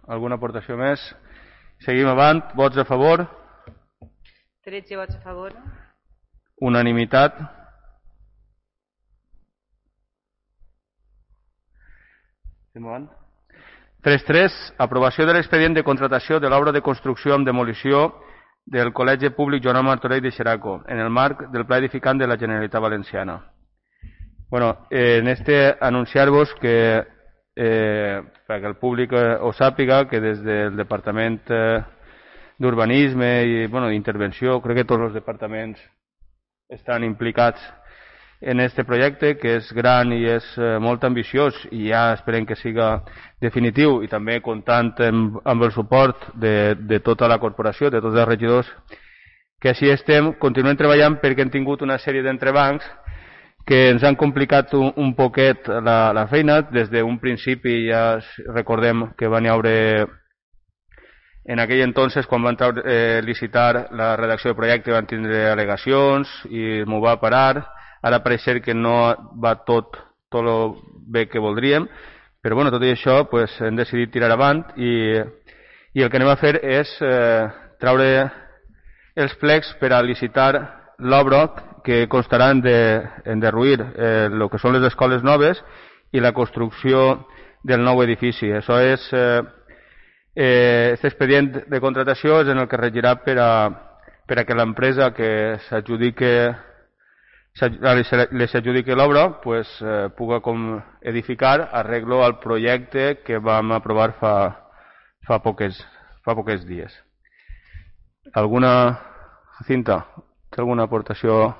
Alguna aportació més? Seguim avant. Vots a favor? 13 vots a favor. Unanimitat. Seguim avant. 3.3. Aprovació de l'expedient de contratació de l'obra de construcció amb demolició del Col·legi Públic Joan Martorell de Xeraco, en el marc del Pla Edificant de la Generalitat Valenciana. Bueno, en este anunciar-vos que, perquè el públic ho sàpiga, que des del Departament d'Urbanisme i d'intervenció, crec que tots els departaments estan implicats en este projecte, que és gran i és molt ambiciós i ja esperem que siga definitiu, i també comptant amb el suport de tota la corporació, de tots els regidors, que així estem, continuem treballant perquè hem tingut una sèrie d'entrebancs que ens han complicat un poquet la feina. Des d'un principi ja recordem que van haure, en aquell entonces, quan van licitar la redacció del projecte, van tindre al·legacions i m'ho va parar. Ara pareix ser que no va tot el bé que voldríem, però tot i això hem decidit tirar avant i el que anem a fer és treure els plecs per a licitar l'obra que constarà en derruir el que són les escoles noves i la construcció del nou edifici. Això és, aquest expedient de contratació és en el que regirà per a que l'empresa que les adjudiqui l'obra pugui edificar arreglo al projecte que vam aprovar fa pocs dies. Alguna, Jacinta, té alguna aportació?